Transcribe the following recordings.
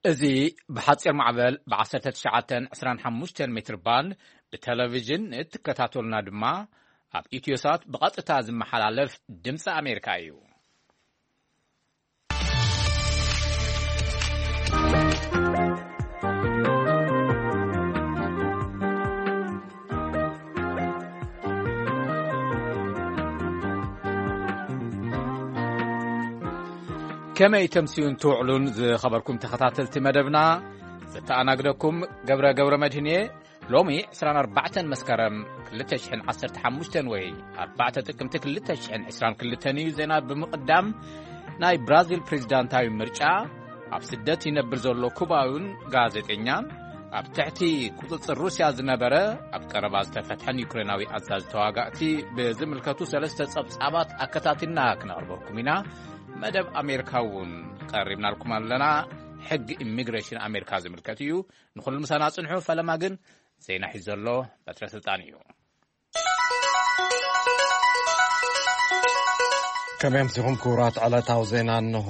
እዚ ብሓጺር ማዕበል ብ19 25 ሜትር ባንድ ብቴሌቪዥን እትከታተሉና ድማ ኣብ ኢትዮሳት ብቐጥታ ዝመሓላለፍ ድምፂ ኣሜሪካ እዩ። ከመይ ተምስዩን ትውዕሉን ዝኸበርኩም ተኸታተልቲ መደብና፣ ዘተኣናግደኩም ገብረ ገብረ መድህን እየ። ሎሚ ዕስራን ኣርባዕተን መስከረም ክልተ ሽሕን ዓሰርተ ሓሙሽተን ወይ ኣርባዕተ ጥቅምቲ ክልተ ሽሕን ዕስራን ክልተን እዩ። ዜና ብምቕዳም፣ ናይ ብራዚል ፕሬዝዳንታዊ ምርጫ፣ ኣብ ስደት ይነብር ዘሎ ኩባውን ጋዜጠኛን፣ ኣብ ትሕቲ ቁጽጽር ሩስያ ዝነበረ ኣብ ቀረባ ዝተፈትሐን ዩክሬናዊ ኣዛዚ ተዋጋእቲ ብዝምልከቱ ሰለስተ ጸብጻባት ኣከታቲልና ክነቕርበኩም ኢና። መደብ ኣሜሪካ እውን ቀሪብናልኩም ኣለና። ሕጊ ኢሚግሬሽን ኣሜሪካ ዝምልከት እዩ። ንኹሉ ምሳና ጽንሑ። ፈለማ ግን ዜና ሒዙ ዘሎ በትረ ስልጣን እዩ። ከመይ ኣምሲኹም ክቡራት? ዕለታዊ ዜና እንሆ።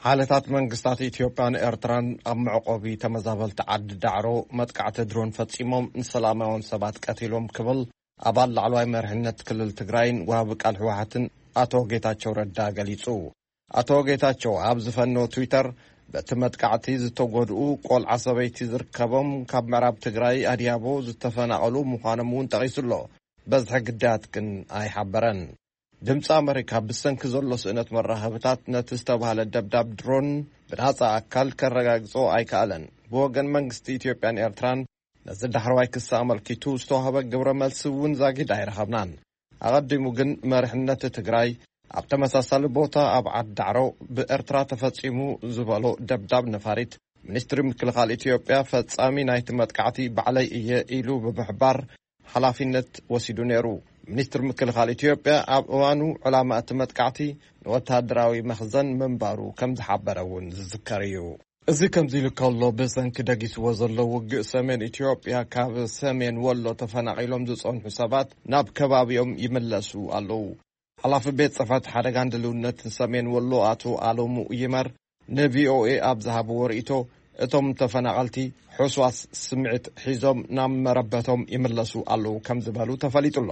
ሓይልታት መንግስታት ኢትዮጵያን ኤርትራን ኣብ መዕቆቢ ተመዛበልቲ ዓዲ ዳዕሮ መጥቃዕቲ ድሮን ፈጺሞም ንሰላማውያን ሰባት ቀቲሎም ክብል ኣባል ላዕለዋይ መሪሕነት ክልል ትግራይን ወሃቢ ቃል ህወሓትን ኣቶ ጌታቸው ረዳ ገሊጹ። ኣቶ ጌታቸው ኣብ ዝፈነዎ ትዊተር፣ በቲ መጥቃዕቲ ዝተጎድኡ ቆልዓ ሰበይቲ ዝርከቦም ካብ ምዕራብ ትግራይ ኣድያቦ ዝተፈናቐሉ ምዃኖም እውን ጠቒሱ ኣሎ። በዝሒ ግዳያት ግን ኣይሓበረን። ድምፂ ኣመሪካ ብሰንኪ ዘሎ ስእነት መራኸብታት ነቲ ዝተባህለ ደብዳብ ድሮን ብናፃ ኣካል ከረጋግጾ ኣይከኣለን። ብወገን መንግስቲ ኢትዮጵያን ኤርትራን ነዚ ዳሕረዋይ ክሲ ኣመልኪቱ ዝተዋህበ ግብረ መልሲ እውን ዛጊድ ኣይረኸብናን። ኣቐዲሙ ግን መሪሕነት ትግራይ ኣብ ተመሳሳሊ ቦታ ኣብ ዓዲ ዳዕሮ ብኤርትራ ተፈጺሙ ዝበሎ ደብዳብ ነፋሪት፣ ሚኒስትሪ ምክልኻል ኢትዮጵያ ፈጻሚ ናይቲ መጥቃዕቲ ባዕለይ እየ ኢሉ ብምሕባር ሓላፊነት ወሲዱ ነይሩ። ሚኒስትሪ ምክልኻል ኢትዮጵያ ኣብ እዋኑ ዕላማ እቲ መጥቃዕቲ ንወተሃደራዊ መኽዘን ምንባሩ ከም ዝሓበረ እውን ዝዝከር እዩ። እዚ ከምዚ ኢሉ ከሎ፣ ብሰንኪ ደጊስዎ ዘሎ ውግእ ሰሜን ኢትዮጵያ ካብ ሰሜን ወሎ ተፈናቒሎም ዝጸንሑ ሰባት ናብ ከባቢኦም ይምለሱ ኣለዉ። ሓላፊ ቤት ጽሕፈት ሓደጋን ድልውነትን ሰሜን ወሎ ኣቶ ኣለሙ ይመር ንቪኦኤ ኣብ ዝሃብዎ ርእይቶ፣ እቶም ተፈናቐልቲ ሕስዋስ ስምዒት ሒዞም ናብ መረበቶም ይምለሱ ኣለዉ ከም ዝበሉ ተፈሊጡ ኣሎ።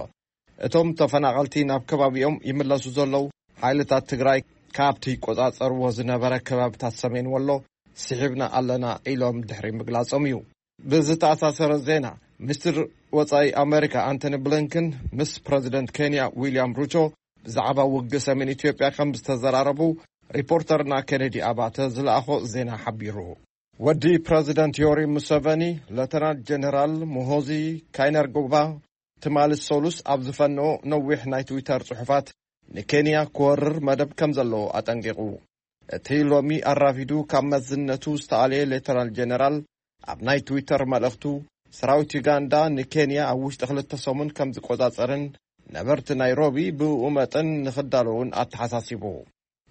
እቶም ተፈናቐልቲ ናብ ከባቢኦም ይምለሱ ዘለዉ፣ ሓይልታት ትግራይ ካብቲ ይቆጻጸርዎ ዝነበረ ከባብታት ሰሜን ወሎ ስሒብና ኣለና ኢሎም ድሕሪ ምግላጾም እዩ። ብዝተኣሳሰረ ዜና፣ ሚኒስትር ወጻኢ ኣመሪካ ኣንቶኒ ብሊንከን ምስ ፕረዚደንት ኬንያ ዊልያም ሩቶ ብዛዕባ ውግእ ሰሜን ኢትዮጵያ ከም ዝተዘራረቡ ሪፖርተርና ኬኔዲ ኣባተ ዝለኣኾ ዜና ሓቢሩ። ወዲ ፕረዚደንት ዮሪ ሙሰቨኒ፣ ሌተናል ጀነራል ሙሆዚ ካይነርጎባ፣ ትማሊ ሰሉስ ኣብ ዝፈነዎ ነዊሕ ናይ ትዊተር ጽሑፋት፣ ንኬንያ ክወርር መደብ ከም ዘለዎ ኣጠንቂቑ። እቲ ሎሚ ኣራፊዱ ካብ መዝነቱ ዝተኣልየ ሌተናል ጀነራል፣ ኣብ ናይ ትዊተር መልእኽቱ፣ ሰራዊት ዩጋንዳ ንኬንያ ኣብ ውሽጢ ክልተ ሰሙን ከም ዝቆጻጸርን ነበርቲ ናይሮቢ ብእኡ መጠን ንኽዳለዉን ኣተሓሳሲቡ።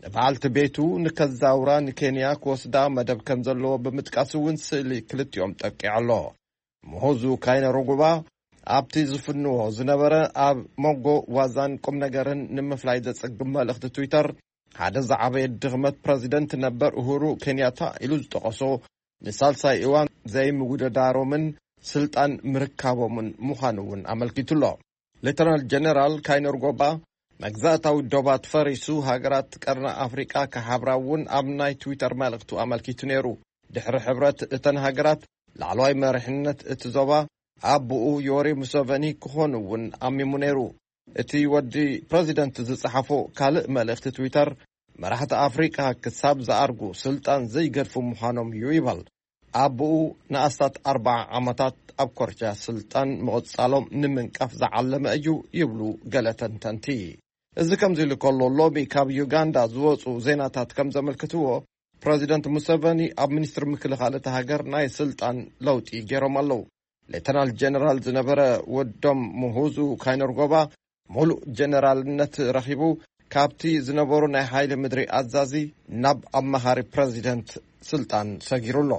ንበዓልቲ ቤቱ ንከዛውራ ንኬንያ ክወስዳ መደብ ከም ዘለዎ ብምጥቃስ እውን ስእሊ ክልቲኦም ጠቂዑ ኣሎ። ምሁዙ ካይነሩጉባ ኣብቲ ዝፍንዎ ዝነበረ ኣብ መንጎ ዋዛን ቁም ነገርን ንምፍላይ ዘጸግም መልእኽቲ ትዊተር፣ ሓደ ዝዓበየ ድኽመት ፕረዚደንት ነበር ኡሁሩ ኬንያታ ኢሉ ዝጠቐሶ ንሳልሳይ እዋን ዘይምውድዳሮምን ስልጣን ምርካቦምን ምዃኑ እውን ኣመልኪቱ ኣሎ። ሌተናል ጀነራል ካይነር ጎባ፣ መግዛእታዊ ዶባት ፈሪሱ ሃገራት ቀርኒ ኣፍሪቃ ክሓብራ እውን ኣብ ናይ ትዊተር መልእኽቱ ኣመልኪቱ ነይሩ። ድሕሪ ሕብረት እተን ሃገራት፣ ላዕለዋይ መሪሕነት እቲ ዞባ ኣቦኡ ዮሪ ሙሰቨኒ ክኾኑ እውን ኣሚሙ ነይሩ። እቲ ወዲ ፕረዚደንት ዝጸሓፎ ካልእ መልእኽቲ ትዊተር፣ መራሕቲ ኣፍሪቃ ክሳብ ዝኣርጉ ስልጣን ዘይገድፉ ምዃኖም እዩ ይበል። ኣቦኡ ንኣስታት ኣርብዓ ዓመታት ኣብ ኮርቻ ስልጣን ምቕጻሎም ንምንቃፍ ዝዓለመ እዩ ይብሉ ገለ ተንተንቲ። እዚ ከምዚ ኢሉ ከሎ፣ ሎሚ ካብ ዩጋንዳ ዝወጹ ዜናታት ከም ዘመልክትዎ፣ ፕረዚደንት ሙሰቨኒ ኣብ ሚኒስትሪ ምክልኻል እታ ሃገር ናይ ስልጣን ለውጢ ገይሮም ኣለዉ። ሌተናል ጀነራል ዝነበረ ወዶም ምሁዙ ካይነርጎባ፣ ሙሉእ ጀነራልነት ረኺቡ፣ ካብቲ ዝነበሩ ናይ ሓይሊ ምድሪ ኣዛዚ ናብ ኣማኻሪ ፕረዚደንት ስልጣን ሰጊሩ ኣሎ።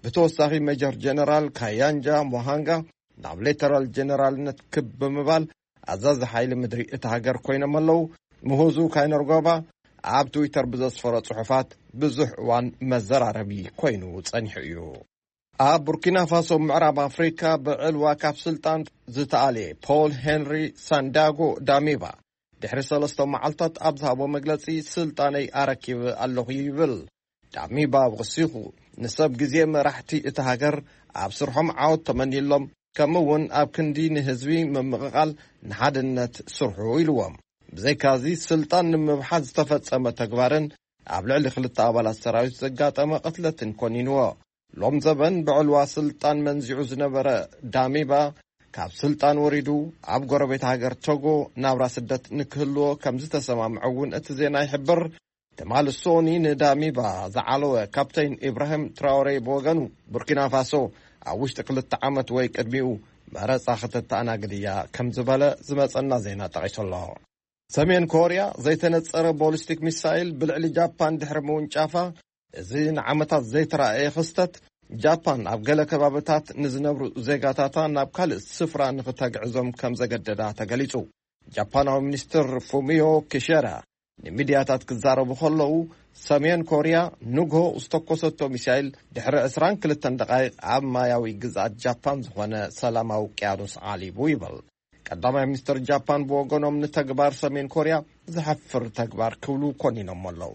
ብተወሳኺ፣ ሜጀር ጀነራል ካያንጃ ሞሃንጋ ናብ ሌተናል ጀነራልነት ክብ ብምባል ኣዛዚ ሓይሊ ምድሪ እታ ሃገር ኮይኖም ኣለዉ። ምሁዙ ካይነርጎባ ኣብ ትዊተር ብዘስፈሮ ጽሑፋት ብዙሕ እዋን መዘራረቢ ኮይኑ ጸኒሑ እዩ። ኣብ ቡርኪና ፋሶ፣ ምዕራብ ኣፍሪካ፣ ብዕልዋ ካብ ስልጣን ዝተኣልየ ፖል ሄንሪ ሳንዳጎ ዳሚባ ድሕሪ ሰለስተ መዓልታት ኣብ ዝሃቦ መግለጺ፣ ስልጣነይ ኣረኪበ ኣለኹ ይብል። ዳሚባ ወሲኹ፣ ንሰብ ግዜ መራሕቲ እታ ሃገር ኣብ ስርሖም ዓወት ተመንየሎም፣ ከምኡ እውን ኣብ ክንዲ ንህዝቢ ምምቕቓል ንሓድነት ስርሑ ኢልዎም። ብዘይካዚ፣ ስልጣን ንምብሓት ዝተፈጸመ ተግባርን ኣብ ልዕሊ ክልተ ኣባላት ሰራዊት ዘጋጠመ ቅትለትን ኮኒንዎ። ሎም ዘበን ብዕልዋ ስልጣን መንዚዑ ዝነበረ ዳሚባ፣ ካብ ስልጣን ወሪዱ ኣብ ጎረቤት ሃገር ቶጎ ናብራ ስደት ንክህልዎ ከም ዝተሰማምዐ እውን እቲ ዜና ይሕብር። ትማሊ ሶኒ ንዳሚባ ዝዓለወ ካፕተን ኢብራሂም ትራውሬ ብወገኑ፣ ቡርኪና ፋሶ ኣብ ውሽጢ ክልተ ዓመት ወይ ቅድሚኡ መረጻ ከተተኣናግድ እያ ከም ዝበለ ዝመጸና ዜና ጠቒሱ ኣሎ። ሰሜን ኮርያ ዘይተነጸረ ቦሊስቲክ ሚሳይል ብልዕሊ ጃፓን ድሕሪ ምውንጫፋ፣ እዚ ንዓመታት ዘይተራእየ ክስተት፣ ጃፓን ኣብ ገለ ከባብታት ንዝነብሩ ዜጋታታ ናብ ካልእ ስፍራ ንክተግዕዞም ከም ዘገደዳ ተገሊጹ። ጃፓናዊ ሚኒስትር ፉሚዮ ኪሸዳ ንሚድያታት ክዛረቡ ከለዉ፣ ሰሜን ኮርያ ንግሆ ዝተኮሰቶ ሚሳይል ድሕሪ ዕስራን ክልተን ደቓይቕ ኣብ ማያዊ ግዝኣት ጃፓን ዝኾነ ሰላማዊ ውቅያኖስ ዓሊቡ ይብል። ቀዳማይ ሚኒስትር ጃፓን ብወገኖም፣ ንተግባር ሰሜን ኮርያ ዘሕፍር ተግባር ክብሉ ኮኒኖም ኣለዉ።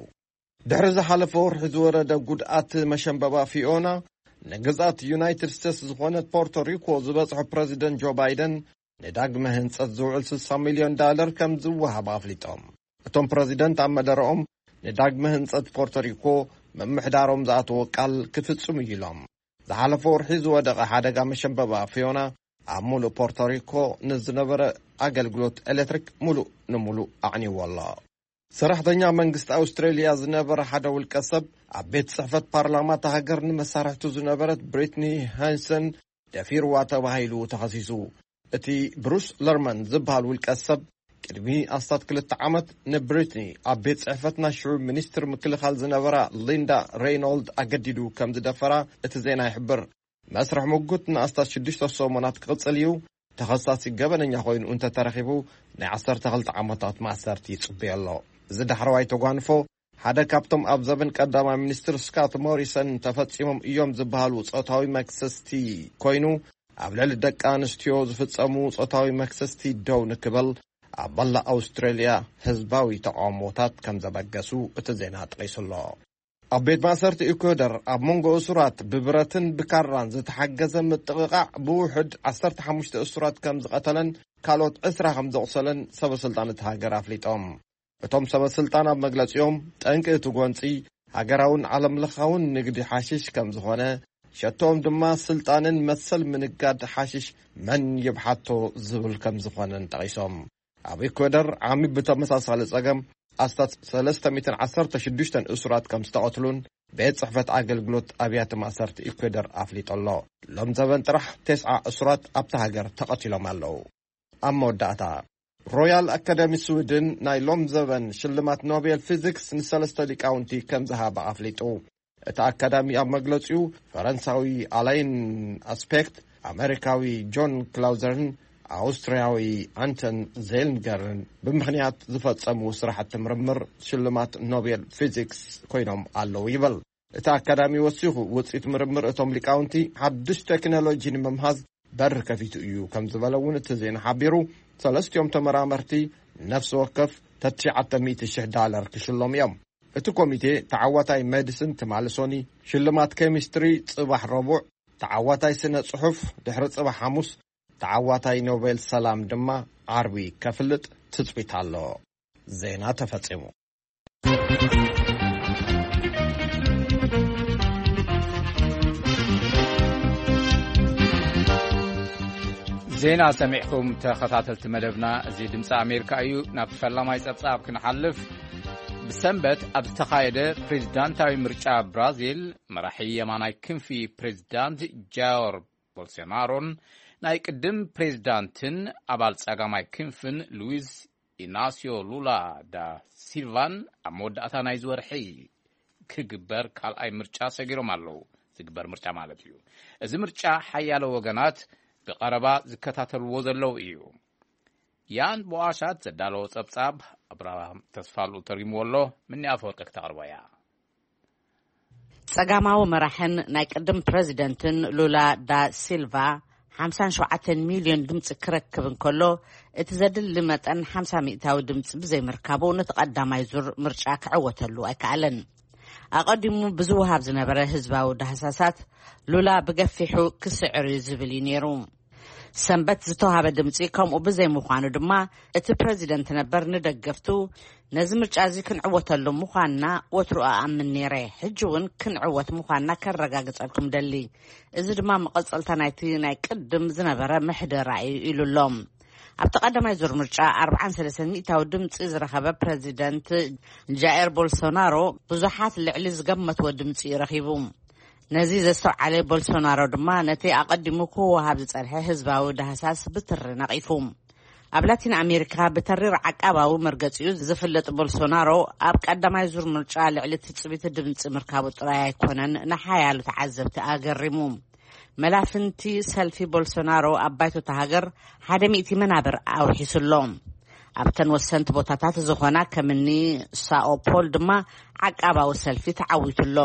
ድሕሪ ዝሓለፈ ወርሒ ዝወረደ ጉድኣት መሸንበባ ፊዮና፣ ንግዝኣት ዩናይትድ ስቴትስ ዝኾነት ፖርቶሪኮ ዝበጽሖ ፕረዚደንት ጆ ባይደን፣ ንዳግመ ህንጸት ዝውዕል ስልሳ ሚልዮን ዳለር ከም ዝወሃብ ኣፍሊጦም። እቶም ፕረዚደንት ኣብ መደረኦም፣ ንዳግመ ህንጸት ፖርቶሪኮ ምምሕዳሮም ዝኣተዎ ቃል ክፍጽሙ እዩ ኢሎም። ዝሓለፈ ወርሒ ዝወደቐ ሓደጋ መሸንበባ ፊዮና ኣብ ሙሉእ ፖርቶሪኮ ንዝነበረ ኣገልግሎት ኤሌክትሪክ ሙሉእ ንሙሉእ ኣዕንይዎ ኣሎ። ሰራሕተኛ መንግስቲ ኣውስትሬልያ ዝነበረ ሓደ ውልቀ ሰብ፣ ኣብ ቤት ጽሕፈት ፓርላማ እታ ሃገር ንመሳርሕቱ ዝነበረት ብሪትኒ ሃንሰን ደፊርዋ ተባሂሉ ተኸሲሱ። እቲ ብሩስ ለርመን ዝበሃል ውልቀ ሰብ፣ ቅድሚ ኣስታት ክልተ ዓመት ንብሪትኒ ኣብ ቤት ጽሕፈት ናይ ሽዑ ሚኒስትር ምክልኻል ዝነበራ ሊንዳ ሬይኖልድ ኣገዲዱ ከም ዝደፈራ እቲ ዜና ይሕብር። መስርሕ ምጉት ንኣስታት ሽዱሽተ ሰሙናት ክቕጽል እዩ። ተኸሳሲ ገበነኛ ኮይኑ እንተተረኺቡ፣ ናይ ዓሰርተ ክልተ ዓመታት ማእሰርቲ ይጽበዮ ኣሎ። እዚ ዳሕረዋይ ተጓንፎ፣ ሓደ ካብቶም ኣብ ዘበን ቀዳማይ ሚኒስትር ስካት ሞሪሰን ተፈጺሞም እዮም ዝበሃሉ ጾታዊ መክሰስቲ ኮይኑ፣ ኣብ ልዕሊ ደቂ ኣንስትዮ ዝፍጸሙ ጾታዊ መክሰስቲ ደው ንክብል ኣብ መላእ ኣውስትራልያ ህዝባዊ ተቃውሞታት ከም ዘበገሱ እቲ ዜና ጠቒሱ ኣሎ። ኣብ ቤት ማእሰርቲ ኢኳዶር፣ ኣብ መንጎ እሱራት ብብረትን ብካራን ዝተሓገዘ ምጥቕቓዕ ብውሑድ ዓሰርተ ሓሙሽተ እሱራት ከም ዝቐተለን ካልኦት ዕስራ ከም ዘቑሰለን ሰበ ስልጣን እቲ ሃገር ኣፍሊጦም። እቶም ሰበ ስልጣን ኣብ መግለጺኦም፣ ጠንቂ እቲ ጎንጺ ሃገራውን ዓለም ለኻውን ንግዲ ሓሽሽ ከም ዝኾነ፣ ሸቶኦም ድማ ስልጣንን መሰል ምንጋድ ሓሽሽ መን ይብሓቶ ዝብል ከም ዝኾነን ጠቒሶም። ኣብ ኢኳዶር ዓሚ ብተመሳሳሊ ጸገም ኣስታት ሰለስተ ሚእትን ዓሰርተ ሽዱሽተን እሱራት ከም ዝተቐትሉን ቤት ጽሕፈት ኣገልግሎት ኣብያተ ማእሰርቲ ኢኳዶር ኣፍሊጡ ኣሎ። ሎም ዘበን ጥራሕ ተስዓ እሱራት ኣብታ ሃገር ተቐቲሎም ኣለዉ። ኣብ መወዳእታ፣ ሮያል ኣካዳሚ ስዊድን ናይ ሎም ዘበን ሽልማት ኖቤል ፊዚክስ ንሰለስተ ሊቃውንቲ ከም ዝሃበ ኣፍሊጡ። እቲ ኣካዳሚ ኣብ መግለጺኡ፣ ፈረንሳዊ ኣላይን ኣስፔክት፣ ኣመሪካዊ ጆን ክላውዘርን ኣውስትርያዊ ኣንተን ዜልንገርን ብምኽንያት ዝፈጸምዎ ስራሕቲ ምርምር ሽልማት ኖቤል ፊዚክስ ኮይኖም ኣለዉ ይብል። እቲ ኣካዳሚ ወሲኹ፣ ውጽኢት ምርምር እቶም ሊቃውንቲ ሓድሽ ቴክኖሎጂ ንምምሃዝ በር ከፊቱ እዩ ከም ዝበለ እውን እቲ ዜና ሓቢሩ። ሰለስቲኦም ተመራመርቲ ነፍሲ ወከፍ ተትሽዓተ ሚእቲ ሽሕ ዳለር ክሽሎም እዮም። እቲ ኮሚቴ ተዓዋታይ ሜዲሲን ትማሊ ሶኒ፣ ሽልማት ኬሚስትሪ ጽባሕ ረቡዕ፣ ተዓዋታይ ስነ ጽሑፍ ድሕሪ ጽባሕ ሓሙስ፣ ተዓዋታይ ኖቤል ሰላም ድማ ዓርቢ ከፍልጥ ትጽቢት ኣሎ። ዜና ተፈጺሙ። ዜና ሰሚዕኩም ተኸታተልቲ መደብና፣ እዚ ድምፂ ኣሜሪካ እዩ። ናብቲ ፈላማይ ጸብጻብ ክንሓልፍ፣ ብሰንበት ኣብ ዝተኻየደ ፕሬዝዳንታዊ ምርጫ ብራዚል፣ መራሒ የማናይ ክንፊ ፕሬዝዳንት ጃየር ቦልሶናሮን ናይ ቅድም ፕሬዝዳንትን ኣባል ጸጋማይ ክንፍን ሉዊስ ኢናሲዮ ሉላ ዳ ሲልቫን ኣብ መወዳእታ ናይዚ ወርሒ ክግበር ካልኣይ ምርጫ ሰጊሮም ኣለዉ። ዝግበር ምርጫ ማለት እዩ። እዚ ምርጫ ሓያሎ ወገናት ብቐረባ ዝከታተልዎ ዘለዉ እዩ። ያን ቦኣሻት ዘዳለዎ ጸብጻብ ኣብርሃም ተስፋሉ ተርጉምዎ ኣሎ። ምኒ ኣፈወርቂ ክተቕርቦ እያ። ጸጋማዊ መራሕን ናይ ቅድም ፕረዚደንትን ሉላ ዳ ሲልቫ ሓምሳን ሸውዓተን ሚልዮን ድምጺ ክረክብ እንከሎ፣ እቲ ዘድሊ መጠን ሓምሳ ሚእታዊ ድምጺ ብዘይምርካቡ፣ ነቲ ቀዳማይ ዙር ምርጫ ክዕወተሉ ኣይከኣለን። ኣቐዲሙ ብዝወሃብ ዝነበረ ህዝባዊ ዳህሳሳት፣ ሉላ ብገፊሑ ክስዕር እዩ ዝብል እዩ ነይሩ። ሰንበት ዝተዋሃበ ድምጺ ከምኡ ብዘይምዃኑ ድማ፣ እቲ ፕረዚደንት ነበር ንደገፍቱ፣ "ነዚ ምርጫ እዚ ክንዕወተሉ ምዃንና ወትሩ እኣምን ነይረ፣ ሕጂ እውን ክንዕወት ምዃንና ከረጋግጸልኩም ደሊ። እዚ ድማ መቐጸልታ ናይቲ ናይ ቅድም ዝነበረ ምሕደራ እዩ" ኢሉ ኣሎ። ኣብቲ ቀዳማይ ዙር ምርጫ ኣርብዓን ሰለስተን ሚእታዊ ድምጺ ዝረኸበ ፕረዚደንት ጃየር ቦልሶናሮ ብዙሓት ልዕሊ ዝገመትዎ ድምጺ እዩ ረኺቡ። ነዚ ዘስተውዓለ ቦልሶናሮ ድማ ነቲ ኣቐዲሙ ክወሃብ ዝጸንሐ ህዝባዊ ዳህሳስ ብትሪ ነቒፉ። ኣብ ላቲን ኣሜሪካ ብተሪር ዓቃባዊ መርገጺኡ ዝፍለጥ ቦልሶናሮ፣ ኣብ ቀዳማይ ዙር ምርጫ ልዕሊ ትጽቢት ድምጺ ምርካቡ ጥራይ ኣይኮነን ንሓያሎ ተዓዘብቲ ኣገሪሙ። መላፍንቲ ሰልፊ ቦልሶናሮ ኣብ ባይቶታ ሃገር ሓደ ሚእቲ መናብር ኣውሒሱ ኣሎ። ኣብተን ወሰንቲ ቦታታት ዝኾና ከምኒ ሳኦ ፖል ድማ ዓቃባዊ ሰልፊ ተዓዊቱ ኣሎ።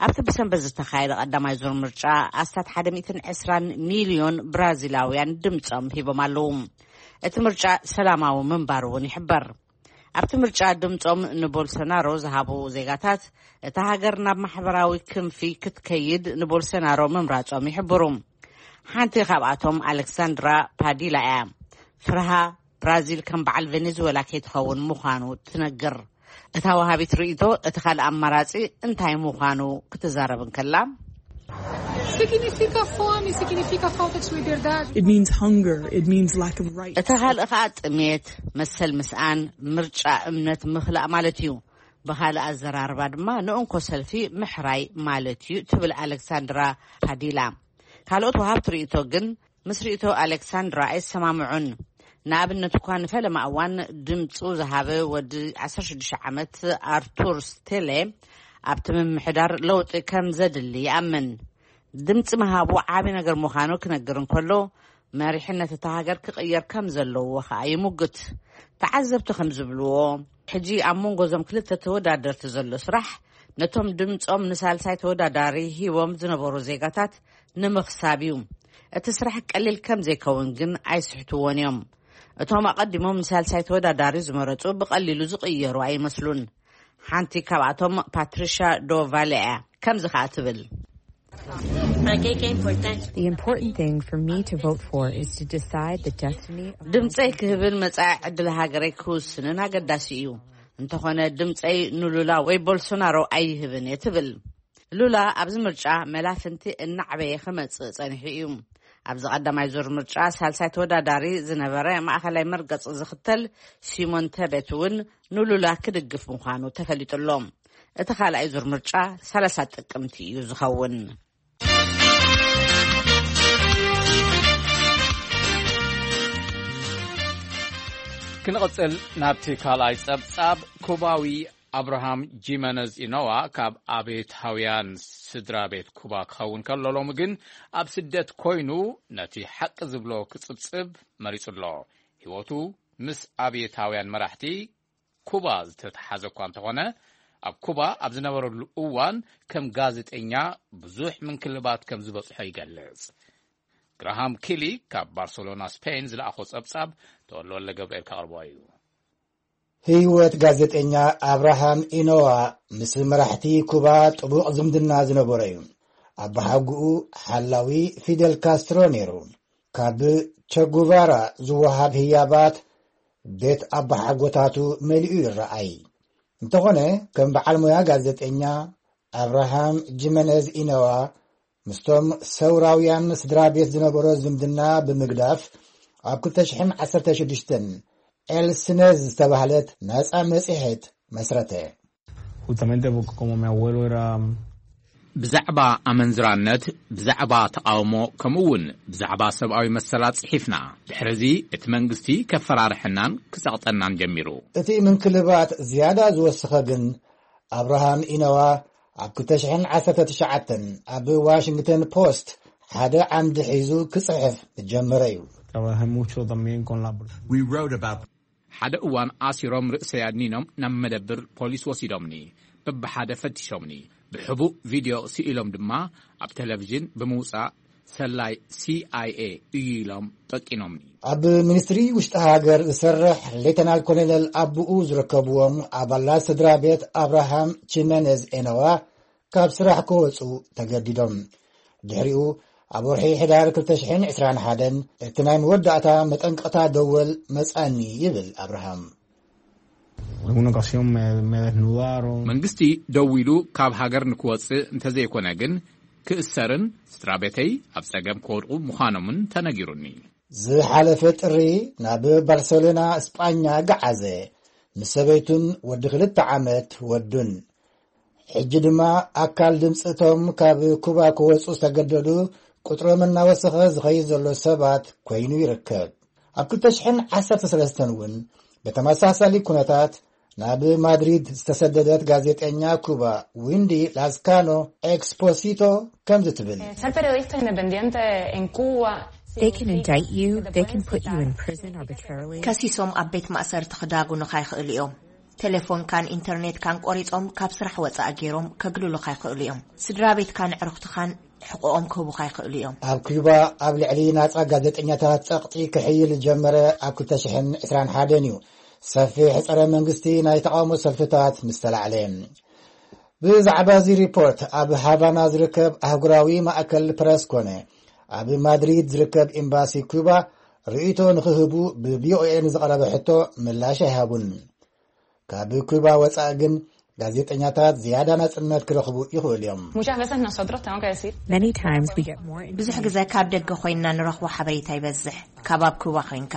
ኣብቲ ብሰንበት ዝተኻየደ ቀዳማይ ዙር ምርጫ ኣስታት ሓደ ሚእትን ዕስራን ሚልዮን ብራዚላውያን ድምጾም ሂቦም ኣለዉ። እቲ ምርጫ ሰላማዊ ምንባሩ እውን ይሕበር። ኣብቲ ምርጫ ድምጾም ንቦልሶናሮ ዝሃቡ ዜጋታት፣ እታ ሃገር ናብ ማሕበራዊ ክንፊ ክትከይድ ንቦልሶናሮ ምምራጾም ይሕብሩ። ሓንቲ ካብኣቶም ኣሌክሳንድራ ፓዲላ እያ። ፍርሃ ብራዚል ከም በዓል ቬኔዙዌላ ከይትኸውን ምዃኑ ትነግር። እታ ወሃቢት ርእይቶ፣ እቲ ካልእ ኣማራጺ እንታይ ምዃኑ ክትዛረብ እንከላ፣ Significa fome, significa falta de liberdade. It means hunger, it means lack of rights. እቲ ካልእ ከኣ ጥሜት፣ መሰል ምስኣን፣ ምርጫ፣ እምነት ምኽላእ ማለት እዩ። ብኻልእ ኣዘራርባ ድማ ንእንኮ ሰልፊ ምሕራይ ማለት እዩ፣ ትብል ኣሌክሳንድራ ፓዲላ። ካልኦት ወሃብቲ ርእይቶ ግን ምስ ርእይቶ ኣሌክሳንድራ ኣይሰማምዑን። ንኣብነት እኳ ንፈለማ እዋን ድምፁ ዝሃበ ወዲ ዓሰርተ ሽዱሽተ ዓመት ኣርቱር ስቴሌ፣ ኣብቲ ምምሕዳር ለውጢ ከም ዘድሊ ይኣምን። ድምፂ ምሃቡ ዓቢ ነገር ምዃኑ ክነግር እንከሎ፣ መሪሕነት እታ ሃገር ክቕየር ከም ዘለዎ ኸኣ ይሙግት። ተዓዘብቲ ከም ዝብልዎ፣ ሕጂ ኣብ መንጎ እዞም ክልተ ተወዳደርቲ ዘሎ ስራሕ፣ ነቶም ድምጾም ንሳልሳይ ተወዳዳሪ ሂቦም ዝነበሩ ዜጋታት ንምኽሳብ እዩ። እቲ ስራሕ ቀሊል ከም ዘይከውን ግን ኣይስሕትዎን እዮም። እቶም ኣቐዲሞም ንሳልሳይ ተወዳዳሪ ዝመረጹ ብቐሊሉ ዝቕየሩ ኣይመስሉን። ሓንቲ ካብኣቶም ፓትሪሻ ዶ ቫለ እያ። ከምዚ ኸኣ ትብል። The important thing for me to vote for is to decide the destiny of ድምጸይ ክህብን መጻኢ ዕድል ሃገረይ ክውስንን ኣገዳሲ እዩ። እንተኾነ ድምጸይ ንሉላ ወይ ቦልሶናሮ ኣይህብን እየ ትብል። ሉላ ኣብዚ ምርጫ መላፍንቲ እናዕበየ ክመጽእ ጸኒሑ እዩ። ኣብዚ ቀዳማይ ዙር ምርጫ ሳልሳይ ተወዳዳሪ ዝነበረ ማእኸላይ መርገጺ ዝኽተል ሲሞን ተቤት እውን ንሉላ ክድግፍ ምዃኑ ተፈሊጡ ኣሎ። እቲ ካልኣይ ዙር ምርጫ ሰላሳ ጥቅምቲ እዩ ዝኸውን። ክንቕጽል ናብቲ ካልኣይ ጸብጻብ። ኩባዊ ኣብርሃም ጂመነዝ ኢኖዋ ካብ ኣብዮታውያን ስድራ ቤት ኩባ ክኸውን ከሎ፣ ሎሚ ግን ኣብ ስደት ኮይኑ ነቲ ሓቂ ዝብሎ ክጽብጽብ መሪጹ ኣሎ። ህይወቱ ምስ ኣብዮታውያን መራሕቲ ኩባ ዝተተሓዘ እኳ እንተኾነ፣ ኣብ ኩባ ኣብ ዝነበረሉ እዋን ከም ጋዜጠኛ ብዙሕ ምንክልባት ከም ዝበጽሖ ይገልጽ። ግራሃም ኪሊ ካብ ባርሰሎና ስፔን ዝለኣኾ ጸብጻብ ተወልደ ወልደ ገብርኤል ከቕርቦ እዩ። ህይወት ጋዜጠኛ ኣብርሃም ኢኖዋ ምስ መራሕቲ ኩባ ጥቡቕ ዝምድና ዝነበሮ እዩ። ኣባሓጉኡ ሓላዊ ፊደል ካስትሮ ነይሩ። ካብ ቸጉቫራ ዝወሃብ ህያባት ቤት ኣባሓጎታቱ መሊኡ ይረኣይ። እንተኾነ፣ ከም በዓል ሞያ ጋዜጠኛ ኣብርሃም ጂመነዝ ኢነዋ ምስቶም ሰውራውያን ስድራ ቤት ዝነበሮ ዝምድና ብምግዳፍ፣ ኣብ ክልተ ሽሕን ዓሰርተ ሽዱሽተን ኤል ስነዝ ዝተባህለት ናጻ መጽሔት መስረተ። Justamente porque como mi abuelo era ብዛዕባ ኣመንዝራነት፣ ብዛዕባ ተቓውሞ፣ ከምኡ እውን ብዛዕባ ሰብኣዊ መሰላት ጽሒፍና። ድሕርዚ እቲ መንግስቲ ከፈራርሐናን ክጸቕጠናን ጀሚሩ። እቲ ምንክልባት ዝያዳ ዝወሰኸ ግን፣ ኣብርሃም ኢነዋ ኣብ ክልተ ሽሕን ዓሰርተ ትሽዓተን ኣብ ዋሽንግተን ፖስት ሓደ ዓምዲ ሒዙ ክጽሕፍ ዝጀመረ እዩ። Trabajé mucho también con la... We wrote about ሓደ እዋን ኣሲሮም ርእሰይ ኣድኒኖም ናብ መደብር ፖሊስ ወሲዶምኒ። በብሓደ ፈቲሾምኒ። ብሕቡእ ቪድዮ ስኢሎም ድማ ኣብ ቴሌቪዥን ብምውጻእ ሰላይ ሲ ኣይ ኤ እዩ ኢሎም ጠቂኖምኒ። ኣብ ሚኒስትሪ ውሽጢ ሃገር ዝሰርሕ ሌተናል ኮሎኔል ኣቡኡ ዝርከብዎም ኣባላት ስድራ ቤት ኣብርሃም ቺመነዝ ኤነዋ ካብ ስራሕ ክወፁ ተገዲዶም። ድሕሪኡ ኣብ ወርሒ ሕዳር ክልተ ሽሕን ዕስራን ሓደን እቲ ናይ መወዳእታ መጠንቀቕታ ደወል መጻኒ ይብል ኣብርሃም። Alguna ocasión me, me desnudaron. መንግስቲ ደዊሉ ካብ ሃገር ንክወፅእ እንተዘይኮነ ግን ክእሰርን ስድራ ቤተይ ኣብ ጸገም ክወድቁ ምዃኖምን ተነጊሩኒ። ዝሓለፈ ጥሪ ናብ ባርሰሎና እስጳኛ ገዓዘ። ምስ ሰበይቱን ወዲ ክልተ ዓመት ወዱን። ሕጂ ድማ ኣካል ድምፂ እቶም ካብ ኩባ ክወፁ ዝተገደዱ ቁፅሮም እናወሰኸ ዝኸይድ ዘሎ ሰባት ኮይኑ ይርከብ። ኣብ ክልተ ሽሕን ዓሰርተ ሰለስተን እውን ብተመሳሳሊ ኩነታት ናብ ማድሪድ ዝተሰደደት ጋዜጠኛ ኩባ ዊንዲ ላስካኖ ኤክስፖሲቶ ከምዚ ትብል። Ser periodista independiente en Cuba. They can indict you, they can put you in prison arbitrarily. ከሲሶም ኣብ ቤት ማእሰርቲ ክዳጉኑኻ ይኽእሉ እዮም። ቴሌፎንካን ኢንተርኔትካን ቆሪጾም ካብ ስራሕ ወጻኢ ገይሮም ከግልሉኻ ይኽእሉ እዮም። ስድራ ቤትካን ኣዕሩኽትኻን ሕቆኦም ክህቡኻ ይኽእሉ እዮም። ኣብ ኩባ ኣብ ልዕሊ ናጻ ጋዜጠኛታት ጸቕጢ ክሕይል ዝጀመረ ኣብ ክልተ ሽሕን ዕስራን ሓደን እዩ። ሰፊሕ ጸረ መንግስቲ ናይ ተቓውሞ ሰልፍታት ምስ ተላዕለ። ብዛዕባ እዚ ሪፖርት ኣብ ሃቫና ዝርከብ ኣህጉራዊ ማእከል ፕረስ ኮነ ኣብ ማድሪድ ዝርከብ ኤምባሲ ኩባ ርእይቶ ንኽህቡ ብ ቪ ኦ ኤ ንዝቐረበ ሕቶ ምላሽ ኣይሃቡን። ካብ ኩባ ወጻኢ ግን ጋዜጠኛታት ዝያዳ ናጽነት ክረኽቡ ይኽእሉ እዮም። Muchas veces nosotros, tengo que decir, many times we get more ብዙሕ ግዜ ካብ ደገ ኮይንና ንረኽቦ ሓበሬታ ይበዝሕ ካብ ኣብ ኩባ ኮይንካ።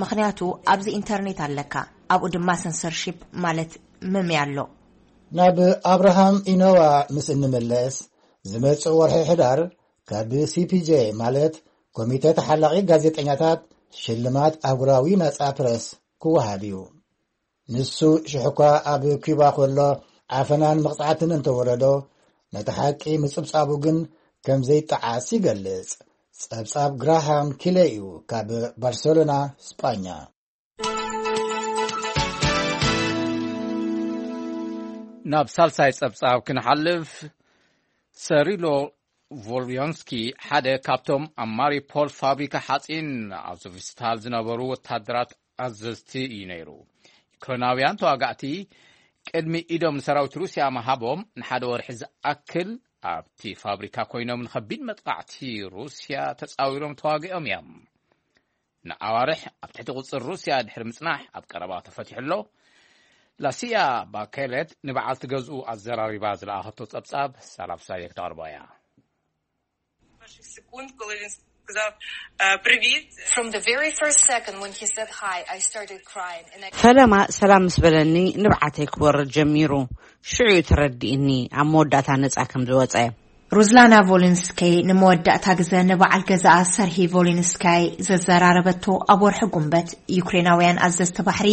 ምኽንያቱ ኣብዚ ኢንተርኔት ኣለካ፣ ኣብኡ ድማ ሰንሰርሺፕ ማለት መምያ ኣሎ። ናብ ኣብርሃም ኢኖዋ ምስ እንምለስ፣ ዝመጽእ ወርሒ ሕዳር ካብ ሲ ፒ ጄ ማለት ኮሚተ ተሓላቒ ጋዜጠኛታት ሽልማት ኣህጉራዊ ናጻ ፕረስ ክወሃብ እዩ። ንሱ ሽሕኳ ኣብ ኩባ ከሎ ዓፈናን መቕጻዕትን እንተወረዶ፣ ነቲ ሓቂ ምጽብጻቡ ግን ከም ዘይጠዓስ ይገልጽ። ጸብጻብ ግራሃም ኪለ እዩ ካብ ባርሰሎና ስጳኛ። ናብ ሳልሳይ ጸብጻብ ክንሓልፍ፣ ሰሪሎ ቮልዮንስኪ ሓደ ካብቶም ኣብ ማሪፖል ፋብሪካ ሓጺን ኣብ ዞቪስታል ዝነበሩ ወተሃደራት ኣዘዝቲ እዩ ነይሩ። ዩክሬናውያን ተዋጋእቲ ቅድሚ ኢዶም ንሰራዊት ሩስያ ምሃቦም ንሓደ ወርሒ ዝኣክል ኣብቲ ፋብሪካ ኮይኖም ንኸቢድ መጥቓዕቲ ሩስያ ተጻዊሮም ተዋጊኦም እዮም። ንኣዋርሕ ኣብ ትሕቲ ቁጽር ሩስያ ድሕሪ ምጽናሕ ኣብ ቀረባ ተፈቲሑ ኣሎ። ላሲያ ባኬለት ንበዓልቲ ገዝኡ ኣዘራሪባ ዝለኣኸቶ ጸብጻብ ሳላፍ ሳየ ክተቕርቦ እያ። Перших секунд, коли він сказав е, привіт. From the very first second when he said hi, I started crying. And I ፈለማ ሰላም ምስ በለኒ ንብዓተይ ክወርድ ጀሚሩ። ሽዑ እዩ ተረዲእኒ ኣብ መወዳእታ ነጻ ከም ዝወጸ። ሩዝላና ቮሊንስካይ ንመወዳእታ ግዘ ንበዓል ገዛኣ ሰርሂ ቮሊንስካይ ዘዘራረበቶ ኣብ ወርሒ ጉንበት፣ ዩክሬናውያን ኣዘዝቲ ባሕሪ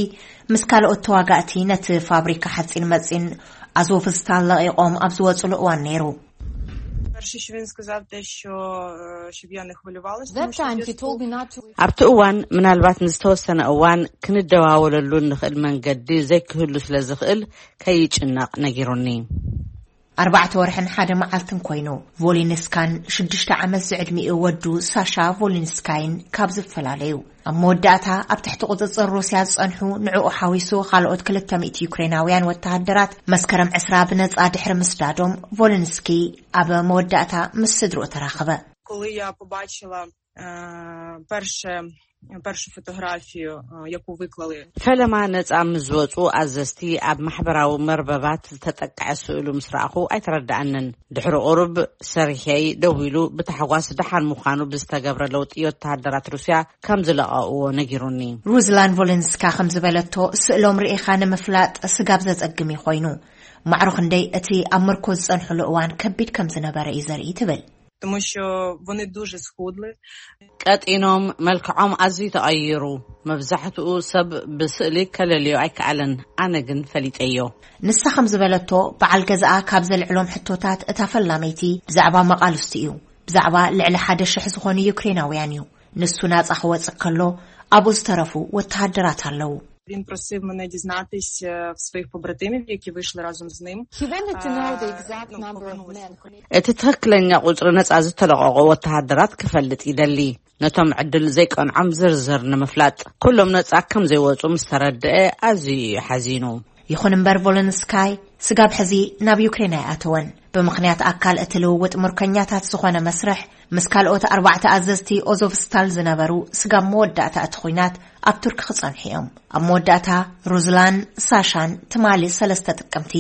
ምስ ካልኦት ተዋጋእቲ ነቲ ፋብሪካ ሓጺን መጺን ኣዞቭስታል ለቒቖም ኣብ ዝወጽሉ እዋን ነይሩ። Перше, що він сказав, те, що, е, щоб я не хвилювалася, That тому що time я he told me not to. ኣብቲ እዋን ምናልባት ንዝተወሰነ እዋን ክንደዋወለሉ እንኽእል መንገዲ ዘይክህሉ ስለ ዝኽእል ከይጭነቕ ነጊሩኒ። ኣርባዕተ ወርሕን ሓደ መዓልትን ኮይኑ ቮሊንስካን ሽዱሽተ ዓመት ዝዕድሚኡ ወዱ ሳሻ ቮሊንስካይን ካብ ዝፈላለዩ፣ ኣብ መወዳእታ ኣብ ትሕቲ ቁጽጽር ሩስያ ዝጸንሑ ንዕኡ ሓዊሱ ካልኦት ክልተ ሚእቲ ዩክሬናውያን ወተሃደራት መስከረም ዕስራ ብነጻ ድሕሪ ምስዳዶም፣ ቮሊንስኪ ኣብ መወዳእታ ምስ ስድርኡ ተራኸበ። коли я побачила е, перше, першу фотографію, е, яку виклали. ፈለማ ነጻ ምስ ዝወጹ ኣዘዝቲ ኣብ ማሕበራዊ መርበባት ዝተጠቅዐ ስእሉ ምስ ረኣኹ ኣይተረድኣንን። ድሕሪ ቁሩብ ሰርሄይ ደዊሉ ብታሕጓስ ደሓን ምዃኑ ብዝተገብረ ለውጢ ወተሃደራት ሩስያ ከም ዝለቐእዎ ነጊሩኒ። ሩዝላን ቮለንስካ ከም ዝበለቶ፣ ስእሎም ርኢኻ ንምፍላጥ ስጋብ ዘጸግም እዩ ኮይኑ። ማዕሮ ክንደይ እቲ ኣብ ምርኮ ዝጸንሕሉ እዋን ከቢድ ከም ዝነበረ እዩ ዘርኢ ትብል። Тому що вони дуже схудли. ቀጢኖም፣ መልክዖም ኣዝዩ ተቐይሩ። መብዛሕትኡ ሰብ ብስእሊ ከለልዮ ኣይከኣለን፣ ኣነ ግን ፈሊጠዮ። ንሳ ከም ዝበለቶ፣ በዓል ገዛኣ ካብ ዘልዕሎም ሕቶታት እታ ፈላመይቲ ብዛዕባ መቓልስቱ እዩ። ብዛዕባ ልዕሊ ሓደ ሽሕ ዝኾኑ ዩክሬናውያን እዩ። ንሱ ናጻ ክወጽእ ከሎ ኣብኡ ዝተረፉ ወተሃደራት ኣለዉ። Він просив мене дізнатись е, в своїх побратимів, які вийшли разом з ним. He wanted to know the exact number of men who እቲ ትኽክለኛ ቁጽሪ ነጻ ዝተለቐቑ ወተሃደራት ክፈልጥ ይደሊ። ነቶም ዕድል ዘይቀንዖም ዝርዝር ንምፍላጥ፣ ኩሎም ነጻ ከም ዘይወጹ ምስ ተረድአ፣ ኣዝዩ እዩ ሓዚኑ። ይኹን እምበር፣ ቮለንስካይ ስጋብ ሕዚ ናብ ዩክሬን ኣይኣተወን። ብምኽንያት ኣካል እቲ ልውውጥ ምርኮኛታት ዝኾነ መስርሕ፣ ምስ ካልኦት ኣርባዕተ ኣዘዝቲ ኦዞቭስታል ዝነበሩ፣ ስጋብ መወዳእታ እቲ ኹናት ኣብ ቱርክ ክጸንሑ እዮም። ኣብ መወዳእታ፣ ሩዝላን ሳሻን ትማሊ ሰለስተ ጥቅምቲ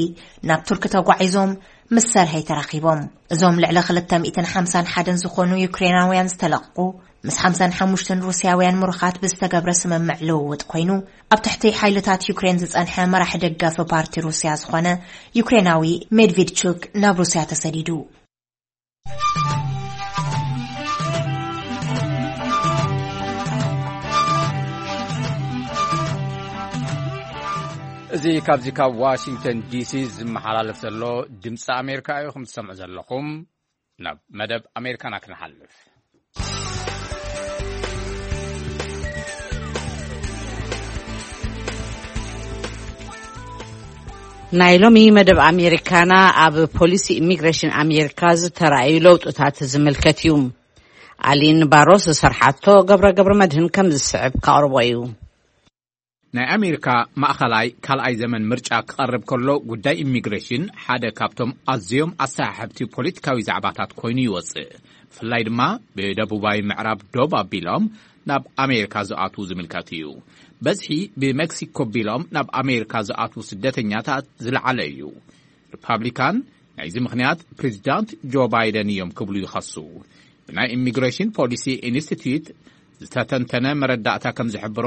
ናብ ቱርክ ተጓዒዞም ምስ ሰርሀይ ተራኺቦም። እዞም ልዕሊ ክልተ ሚእትን ሓምሳን ሓደን ዝኾኑ ዩክሬናውያን ዝተለቕቑ፣ ምስ ሓምሳን ሓሙሽተን ሩስያውያን ምሩኻት ብዝተገብረ ስምምዕ ልውውጥ ኮይኑ፣ ኣብ ትሕቲ ሓይልታት ዩክሬን ዝጸንሐ መራሒ ደጋፊ ፓርቲ ሩስያ ዝኾነ ዩክሬናዊ ሜድቪድቹክ ናብ ሩስያ ተሰዲዱ። እዚ ካብዚ ካብ ዋሽንግተን ዲሲ ዝመሓላለፍ ዘሎ ድምፂ ኣሜሪካ እዩ። ከም ትሰምዑ ዘለኹም፣ ናብ መደብ ኣሜሪካና ክንሓልፍ። ናይ ሎሚ መደብ ኣሜሪካና ኣብ ፖሊሲ ኢሚግሬሽን ኣሜሪካ ዝተራእዩ ለውጥታት ዝምልከት እዩ። ኣሊን ባሮ ዝሰርሓቶ ገብረ ገብረ መድህን ከም ዝስዕብ ከቕርቦ እዩ። ናይ ኣሜሪካ ማእኸላይ ካልኣይ ዘመን ምርጫ ክቐርብ ከሎ፣ ጉዳይ ኢሚግሬሽን ሓደ ካብቶም ኣዝዮም ኣሰሓሕብቲ ፖለቲካዊ ዛዕባታት ኮይኑ ይወጽእ። ብፍላይ ድማ ብደቡባዊ ምዕራብ ዶብ ኣቢሎም ናብ ኣሜሪካ ዝኣትዉ ዝምልከት እዩ። በዝሒ ብመክሲኮ ኣቢሎም ናብ ኣሜሪካ ዝኣትዉ ስደተኛታት ዝለዓለ እዩ። ሪፓብሊካን ናይዚ ምኽንያት ፕሬዚዳንት ጆ ባይደን እዮም ክብሉ ይኸሱ። ብናይ ኢሚግሬሽን ፖሊሲ ኢንስቲትዩት ዝተተንተነ መረዳእታ ከም ዝሕብሮ፣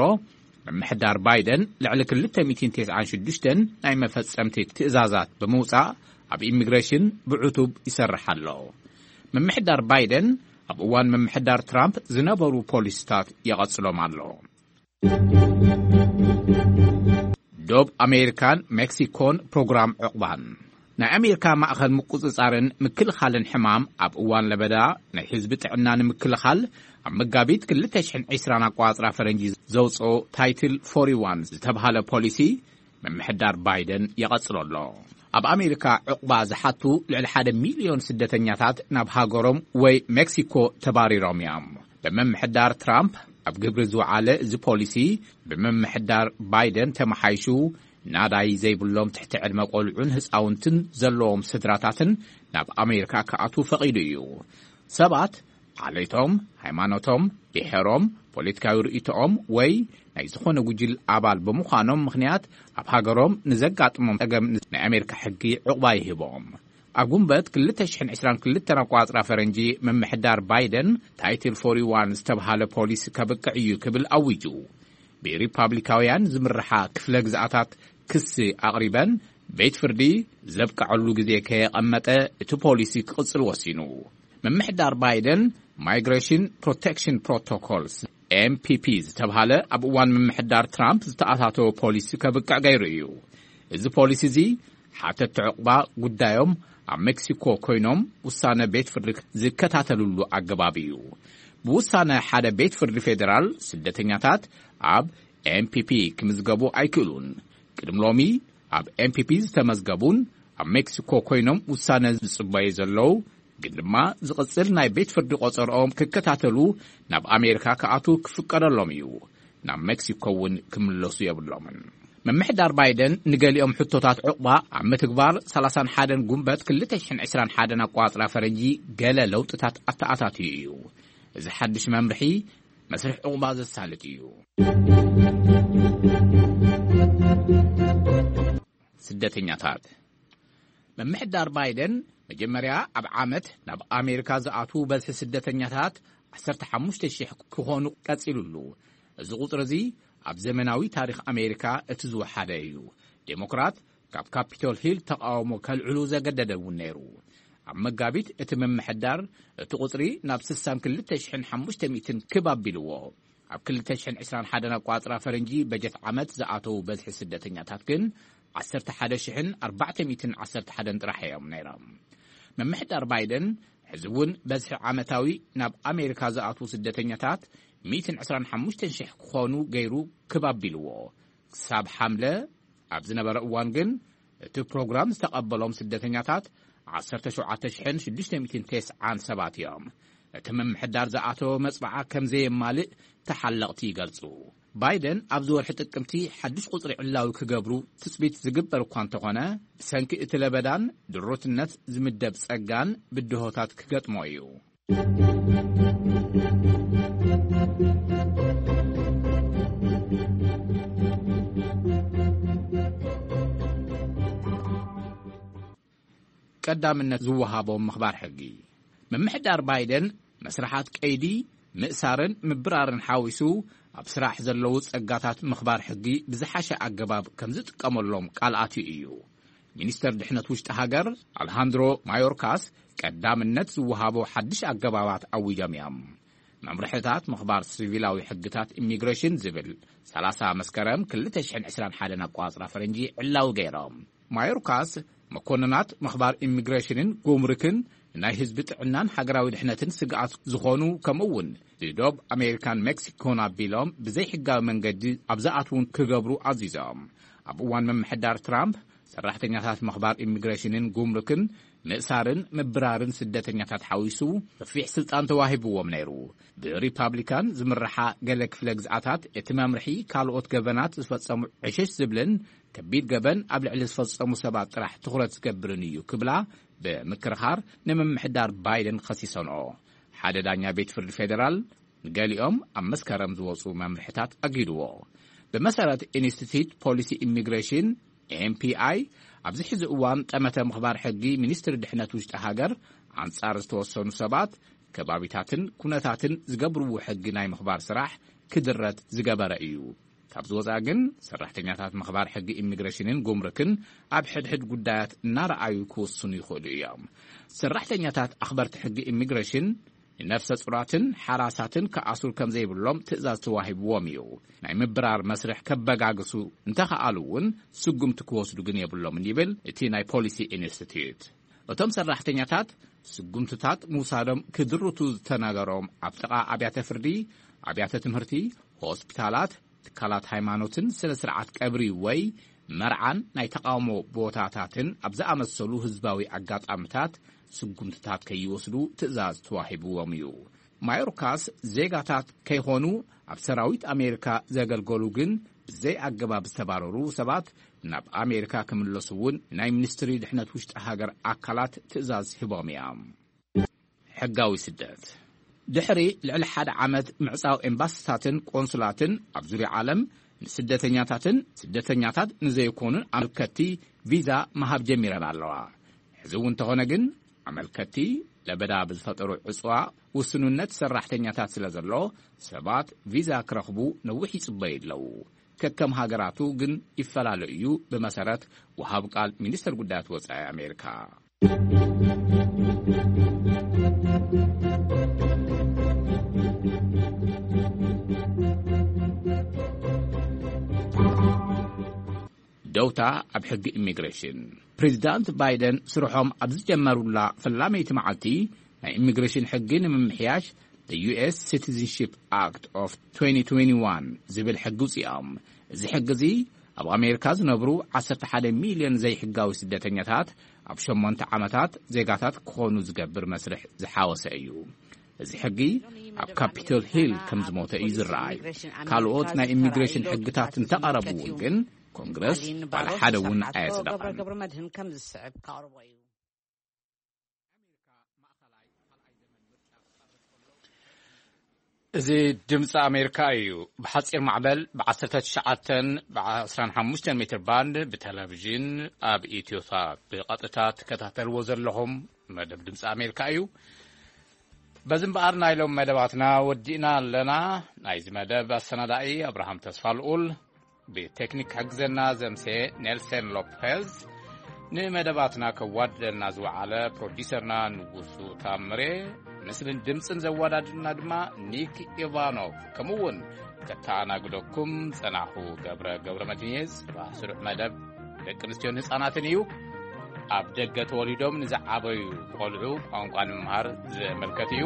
ምምሕዳር ባይደን ልዕሊ ክልተ ሚእትን ተስዓን ሽዱሽተን ናይ መፈጸምቲ ትእዛዛት ብምውጻእ፣ ኣብ ኢሚግሬሽን ብዕቱብ ይሰርሕ ኣሎ። ምምሕዳር ባይደን ኣብ እዋን ምምሕዳር ትራምፕ ዝነበሩ ፖሊሲታት ይቐጽሎም ኣሎ። ዶብ ኣሜሪካን ሜክሲኮን ፕሮግራም ዕቑባን። ናይ ኣሜሪካ ማእኸል ምቁጽጻርን ምክልኻልን ሕማም፣ ኣብ እዋን ለበዳ ናይ ህዝቢ ጥዕና ንምክልኻል፣ ኣብ መጋቢት ክልተ ሽሕን ዕስራን ኣቋጽራ ፈረንጂ ዘውጽኦ ታይትል ፎርቲ ዋን ዝተብሃለ ፖሊሲ፣ ምምሕዳር ባይደን ይቐጽሎ ኣሎ። ኣብ ኣሜሪካ ዕቑባ ዝሓቱ ልዕሊ ሓደ ሚልዮን ስደተኛታት ናብ ሃገሮም ወይ ሜክሲኮ ተባሪሮም እዮም። ብምምሕዳር ትራምፕ ኣብ ግብሪ ዝወዓለ እዚ ፖሊሲ፣ ብምምሕዳር ባይደን ተመሓይሹ፣ ናዳይ ዘይብሎም ትሕቲ ዕድመ ቆልዑን ህፃውንትን ዘለዎም ስድራታትን ናብ ኣሜሪካ ክኣትዉ ፈቒዱ እዩ። ሰባት ዓሌቶም፣ ሃይማኖቶም፣ ብሔሮም፣ ፖለቲካዊ ርእይቶኦም ወይ ናይ ዝኾነ ጉጅል ኣባል ብምዃኖም ምኽንያት ኣብ ሃገሮም ንዘጋጥሞም ጸገም ናይ ኣሜሪካ ሕጊ ዕቑባ ይህቦም። ኣብ ጉንበት ክልተ ሽሕን ዕስራን ክልተን ኣቋጽራ ፈረንጂ፣ ምምሕዳር ባይደን ታይትል ፎርቲ ዋን ዝተብሃለ ፖሊሲ ከብቅዕ እዩ ክብል ኣዊጁ። ብሪፓብሊካውያን ዝምርሓ ክፍለ ግዝኣታት ክሲ ኣቕሪበን፣ ቤት ፍርዲ ዘብቅዐሉ ግዜ ከየቐመጠ እቲ ፖሊሲ ክቕጽል ወሲኑ። ምምሕዳር ባይደን ማይግሬሽን ፕሮቴክሽን ፕሮቶኮልስ፣ ኤምፒፒ፣ ዝተብሃለ ኣብ እዋን ምምሕዳር ትራምፕ ዝተኣታተወ ፖሊሲ ከብቅዕ ገይሩ እዩ። እዚ ፖሊሲ እዚ ሓተቲ ዕቑባ ጉዳዮም ኣብ ሜክሲኮ ኮይኖም ውሳነ ቤት ፍርዲ ዝከታተልሉ ኣገባብ እዩ። ብውሳነ ሓደ ቤት ፍርዲ ፌዴራል፣ ስደተኛታት ኣብ ኤምፒፒ ክምዝገቡ ኣይክእሉን። ቅድሚ ሎሚ ኣብ ኤምፒፒ ዝተመዝገቡን ኣብ ሜክሲኮ ኮይኖም ውሳነ ዝጽበዩ ዘለዉ፣ ግን ድማ ዝቕጽል ናይ ቤት ፍርዲ ቆጸርኦም ክከታተሉ ናብ ኣሜሪካ ክኣትዉ ክፍቀደሎም እዩ። ናብ ሜክሲኮ እውን ክምለሱ የብሎምን። ምምሕዳር ባይደን ንገሊኦም ሕቶታት ዕቑባ ኣብ ምትግባር፣ ሰላሳን ሓደን ጉንበት ክልተ ሽሕን ዕስራን ሓደን ኣቋጽራ ፈረንጂ ገለ ለውጥታት ኣተኣታትዩ እዩ። እዚ ሓድሽ መምርሒ መስርሕ ዕቑባ ዘሳልጥ እዩ። ስደተኛታት። ምምሕዳር ባይደን መጀመርያ ኣብ ዓመት ናብ ኣሜሪካ ዝኣትዉ በዝሒ ስደተኛታት ዓሰርተ ሓሙሽተ ሽሕ ክኾኑ ቀጺሉሉ። እዚ ቁጽሪ እዚ ኣብ ዘመናዊ ታሪኽ ኣሜሪካ እቲ ዝወሓደ እዩ። ዴሞክራት ካብ ካፒቶል ሂል ተቓውሞ ከልዕሉ ዘገደደ እውን ነይሩ። ኣብ መጋቢት እቲ ምምሕዳር እቲ ቁጽሪ ናብ ስሳን ክልተ ሽሕን ሓሙሽተ ሚእትን ክብ ኣቢልዎ። ኣብ ክልተ ሽሕን ዕስራን ሓደን ኣቋጽራ ፈረንጂ በጀት ዓመት ዝኣተዉ በዝሒ ስደተኛታት ግን ዓሰርተ ሓደ ሽሕን ኣርባዕተ ሚእትን ዓሰርተ ሓደን ጥራሕ እዮም ነይሮም። ምምሕዳር ባይደን ሕዚ እውን በዝሒ ዓመታዊ ናብ ኣሜሪካ ዝኣትዉ ስደተኛታት ሚእትን ዕስራን ሓሙሽተን ሽሕ ክኾኑ ገይሩ ክብ ኣቢልዎ። ክሳብ ሓምለ ኣብ ዝነበረ እዋን ግን እቲ ፕሮግራም ዝተቐበሎም ስደተኛታት ዓሰርተ ሸውዓተ ሽሕን ሽዱሽተ ሚእትን ተስዓን ሰባት እዮም። እቲ ምምሕዳር ዝኣተወ መጽባዓ ከም ዘየማልእ ተሓለቕቲ ይገልጹ። ባይደን ኣብዚ ወርሒ ጥቅምቲ ሓድሽ ቁጽሪ ዕላዊ ክገብሩ ትጽቢት ዝግበር እኳ እንተኾነ፣ ብሰንኪ እቲ ለበዳን ድሩትነት ዝምደብ ጸጋን ብድሆታት ክገጥሞ እዩ። ቀዳምነት ዝወሃቦም ምኽባር ሕጊ። ምምሕዳር ባይደን መስርሓት ቀይዲ፣ ምእሳርን ምብራርን ሓዊሱ ኣብ ስራሕ ዘለዉ ጸጋታት ምኽባር ሕጊ ብዝሓሸ ኣገባብ ከም ዝጥቀመሎም ቃል ኣትዩ እዩ። ሚኒስተር ድሕነት ውሽጢ ሃገር ኣልሃንድሮ ማዮርካስ ቀዳምነት ዝወሃቦ ሓድሽ ኣገባባት ኣዊጆም እዮም። መምርሕታት ምኽባር ሲቪላዊ ሕግታት ኢሚግሬሽን ዝብል ሰላሳ መስከረም ክልተ ሽሕን ዕስራን ሓደን ኣቋጽራ ፈረንጂ ዕላዊ ገይሮም። ማዮርካስ መኮንናት ምኽባር ኢሚግሬሽንን ጉምሩክን ናይ ህዝቢ ጥዕናን ሃገራዊ ድሕነትን ስግኣት ዝኾኑ፣ ከምኡ እውን ንዶብ ኣሜሪካን ሜክሲኮን ኣቢሎም ብዘይሕጋዊ መንገዲ ኣብ ዝኣትዉን ክገብሩ ኣዚዞም። ኣብ እዋን ምምሕዳር ትራምፕ ሰራሕተኛታት ምኽባር ኢሚግሬሽንን ጉምሩክን ምእሳርን ምብራርን ስደተኛታት ሓዊሱ ሰፊሕ ስልጣን ተዋሂብዎም ነይሩ። ብሪፓብሊካን ዝምርሓ ገለ ክፍለ ግዝኣታት እቲ መምርሒ ካልኦት ገበናት ዝፈጸሙ ዕሽሽ ዝብልን ከቢድ ገበን ኣብ ልዕሊ ዝፈጸሙ ሰባት ጥራሕ ትኹረት ዝገብርን እዩ ክብላ ብምክርኻር ንምምሕዳር ባይደን ከሲሰንኦ። ሓደ ዳኛ ቤት ፍርዲ ፌደራል ንገሊኦም ኣብ መስከረም ዝወጹ መምርሕታት ኣጊድዎ። ብመሰረት ኢንስቲትዩት ፖሊሲ ኢሚግሬሽን፣ ኤምፒኣይ፣ ኣብዚ ሕዚ እዋን ጠመተ ምኽባር ሕጊ ሚኒስትሪ ድሕነት ውሽጢ ሃገር ኣንጻር ዝተወሰኑ ሰባት፣ ከባቢታትን ኩነታትን ዝገብርዎ ሕጊ ናይ ምኽባር ስራሕ ክድረት ዝገበረ እዩ። ካብዚ ወጻኢ ግን ሰራሕተኛታት ምኽባር ሕጊ ኢሚግሬሽንን ጉምሩክን ኣብ ሕድሕድ ጉዳያት እናረኣዩ ክውስኑ ይኽእሉ እዮም። ሰራሕተኛታት ኣኽበርቲ ሕጊ ኢሚግሬሽን ንነፍሰ ጹራትን ሓራሳትን ክኣስሩ ከም ዘይብሎም ትእዛዝ ተዋሂብዎም እዩ። ናይ ምብራር መስርሕ ከበጋግሱ እንተኸኣሉ እውን ስጉምቲ ክወስዱ ግን የብሎምን ይብል እቲ ናይ ፖሊሲ ኢንስቲትዩት። እቶም ሰራሕተኛታት ስጉምትታት ምውሳዶም ክድርቱ ዝተነገሮም ኣብ ጥቓ ኣብያተ ፍርዲ፣ ኣብያተ ትምህርቲ፣ ሆስፒታላት፣ ትካላት ሃይማኖትን ስነ ስርዓት ቀብሪ ወይ መርዓን ናይ ተቓውሞ ቦታታትን ኣብ ዝኣመሰሉ ህዝባዊ ኣጋጣምታት ስጉምትታት ከይወስዱ ትእዛዝ ተዋሂብዎም እዩ። ማዮርካስ ዜጋታት ከይኾኑ ኣብ ሰራዊት ኣሜሪካ ዘገልገሉ ግን ብዘይ ኣገባብ ዝተባረሩ ሰባት ናብ ኣሜሪካ ክምለሱ እውን ናይ ሚኒስትሪ ድሕነት ውሽጢ ሃገር ኣካላት ትእዛዝ ሂቦም እዮም። ሕጋዊ ስደት። ድሕሪ ልዕሊ ሓደ ዓመት ምዕጻው ኤምባሲታትን ቆንሱላትን ኣብ ዙርያ ዓለም ንስደተኛታትን ስደተኛታት ንዘይኮኑን ኣመልከትቲ ቪዛ ምሃብ ጀሚረን ኣለዋ። ሕዚ እውን እንተኾነ ግን ኣመልከትቲ ለበዳ ብዝፈጠሩ ዕጽዋ ውስኑነት ሰራሕተኛታት ስለ ዘሎ ሰባት ቪዛ ክረኽቡ ነዊሕ ይጽበዩ ኣለዉ። ከከም ሃገራቱ ግን ይፈላለ እዩ፣ ብመሰረት ወሃብ ቃል ሚኒስትር ጉዳያት ወጻኢ ኣሜሪካ። ደውታ ኣብ ሕጊ ኢሚግሬሽን። ፕሬዚዳንት ባይደን ስርሖም ኣብ ዝጀመሩላ ፈላመይቲ መዓልቲ ናይ ኢሚግሬሽን ሕጊ ንምምሕያሽ The ዩ ኤስ Citizenship Act of twenty twenty-one ዝብል ሕጊ ውፅኦም። እዚ ሕጊ እዚ ኣብ ኣሜሪካ ዝነብሩ ዓሰርተ ሓደ ሚልዮን ዘይሕጋዊ ስደተኛታት ኣብ ሸሞንተ ዓመታት ዜጋታት ክኾኑ ዝገብር መስርሕ ዝሓወሰ እዩ። እዚ ሕጊ ኣብ ካፒቶል ሂል ከም ዝሞተ እዩ ዝረኣይ። ካልኦት ናይ ኢሚግሬሽን ሕግታት እንተቐረቡ እውን ግን ኮንግረስ ዋላ ሓደ እውን ኣየጽደቐን። እዚ ድምፂ ኣሜሪካ እዩ። ብሓፂር ማዕበል ብ ዓሰርተ ትሽዓተን ብ ዓሰርተ ሓሙሽተን ሜትር ባንድ ብቴሌቪዥን ኣብ ኢትዮሳት ብቐጥታ ትከታተልዎ ዘለኹም መደብ ድምፂ ኣሜሪካ እዩ። በዚ እምበኣር ናይ ሎም መደባትና ወዲእና ኣለና። ናይዚ መደብ ኣሰናዳኢ ኣብርሃም ተስፋ ልኡል፣ ብቴክኒክ ክሕግዘና ዘምሴ ኔልሰን ሎፔዝ፣ ንመደባትና ከዋድደልና ዝወዓለ ፕሮዲሰርና ንጉሱ ታምሬ፣ ምስልን ድምፅን ዘወዳድርና ድማ ኒክ ኢቫኖቭ፣ ከምኡ እውን ከተኣናግደኩም ጸናኹ ገብረ ገብረ መድህን እየ። ጽባሕ ስሩዕ መደብ ደቂ ኣንስትዮን ህፃናትን እዩ። ኣብ ደገ ተወሊዶም ንዝዓበዩ ቆልዑ ቋንቋ ንምምሃር ዘመልከት እዩ።